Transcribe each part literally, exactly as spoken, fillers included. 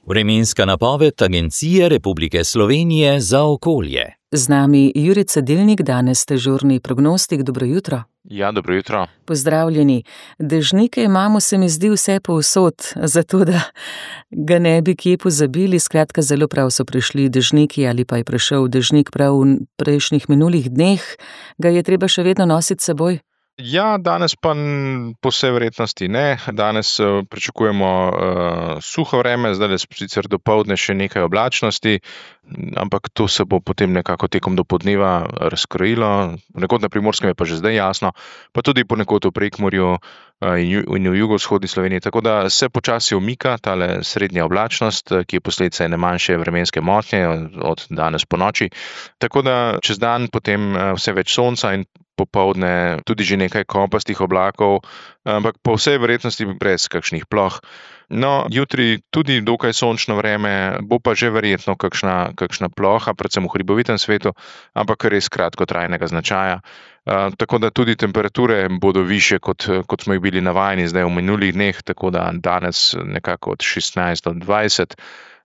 Vremenska napoved Agencije Republike Slovenije za okolje. Z nami Jure Cedilnik, danes dežurni prognostik. Dobro jutro. Ja, dobro jutro. Pozdravljeni. Dežnike imamo, se mi zdi, vse povsod, zato da ga ne bi kje pozabili. Skratka, zelo prav so prišli dežniki ali pa je prišel dežnik prav v prejšnjih minulih dneh. Ga je treba še vedno nositi s seboj? Ja, danes pa po vsej verjetnosti ne. Danes uh, pričakujemo uh, suho vreme, zdaj je sicer dopoldne še nekaj oblačnosti, ampak to se bo potem nekako tekom dopoldneva razkrojilo. Ponekod na Primorskem je pa že zdaj jasno, pa tudi ponekod v Prekmurju uh, in, in v jugovzhodni Sloveniji. Tako da se počasi umika tale srednja oblačnost, ki je posledica ene manjše vremenske motnje od, od danes po noči. Tako da čez dan potem uh, vse več sonca in popoldne tudi že nekaj kopastih oblakov, ampak po vsej verjetnosti brez kakšnih ploh. No, jutri tudi dokaj sončno vreme, bo pa že verjetno kakšna, kakšna ploha, predvsem v hribovitem svetu, ampak res kratkotrajnega značaja. Uh, tako da tudi temperature bodo višje, kot, kot smo jih bili navajeni zdaj v minulih dneh, tako da danes nekako od šestnajst do dvajset,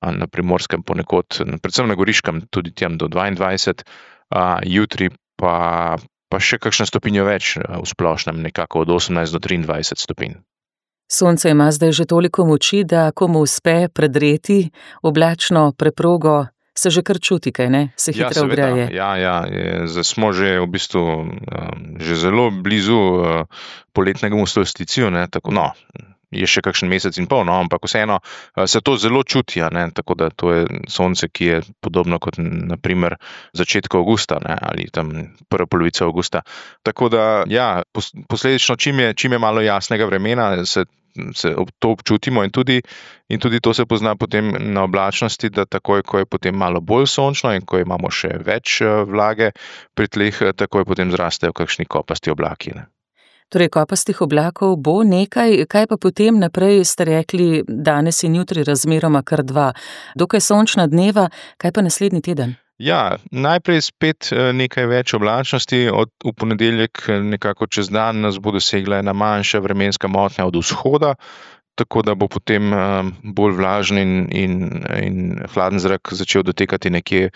na Primorskem ponekod, predvsem na Goriškem tudi tam do dvaindvajset, uh, jutri pa pa še kakšno stopinjo več v splošnem, nekako od osemnajst do triindvajset stopinj. Sonce ima zdaj že toliko moči, da komu uspe predreti oblačno preprogo, se že kar čuti, kaj ne? Se hitro ogreje. Ja, ja, ja, zdaj smo že v bistvu um, že zelo blizu uh, poletnemu solsticiju, ne, tako no. Je še kakšen mesec in pol, no, ampak vseeno se to zelo čuti, ne, tako da to je sonce, ki je podobno kot na primer začetku avgusta, ne, ali tam prva polovica avgusta. Tako da, ja, posledično, čim je, čim je malo jasnega vremena, se, se to občutimo in tudi, in tudi to se pozna potem na oblačnosti, da takoj, ko je potem malo bolj sončno in ko imamo še več vlage pri tleh, takoj potem zrastejo kakšni kopasti oblaki, ne. Torej, kopastih oblakov bo nekaj, kaj pa potem naprej, ste rekli, danes in jutri razmeroma kar dva. Dokaj sončna dneva, kaj pa naslednji teden? Ja, najprej spet nekaj več oblačnosti, od v ponedeljek nekako čez dan nas bo dosegla ena manjša vremenska motnja od vzhoda, tako da bo potem bolj vlažen in, in, in hladen zrak začel dotekati nekje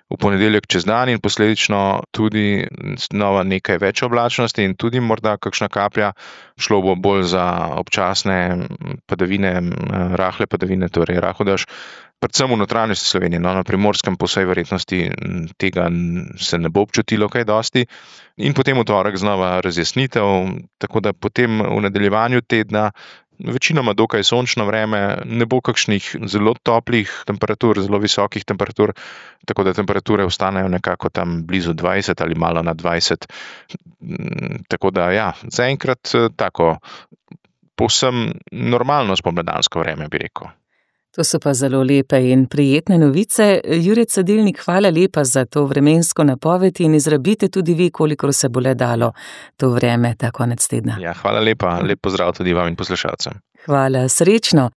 v ponedeljek čez dan in posledično tudi znova nekaj več oblačnosti in tudi morda kakšna kaplja. Šlo bo bolj za občasne padavine, rahle padavine, torej rahodež, predvsem v notranjosti Slovenije, no, na Primorskem po vsej verjetnosti tega se ne bo občutilo kaj dosti. In potem v torek znova razjasnitev, tako da potem v nadaljevanju tedna večinoma dokaj sončno vreme, ne bo kakšnih zelo toplih temperatur, zelo visokih temperatur, tako da temperature ostanejo nekako tam blizu dvajset ali malo nad dvajset. Tako da ja, zaenkrat tako povsem normalno spomladansko vreme, bi rekel. To so pa zelo lepe in prijetne novice. Jure Cedilnik, hvala lepa za to vremensko napoved in izrabite tudi vi, kolikor se bo le dalo to vreme ta konec tedna. Ja, hvala lepa. Lep pozdrav tudi vam in poslušalcem. Hvala, srečno.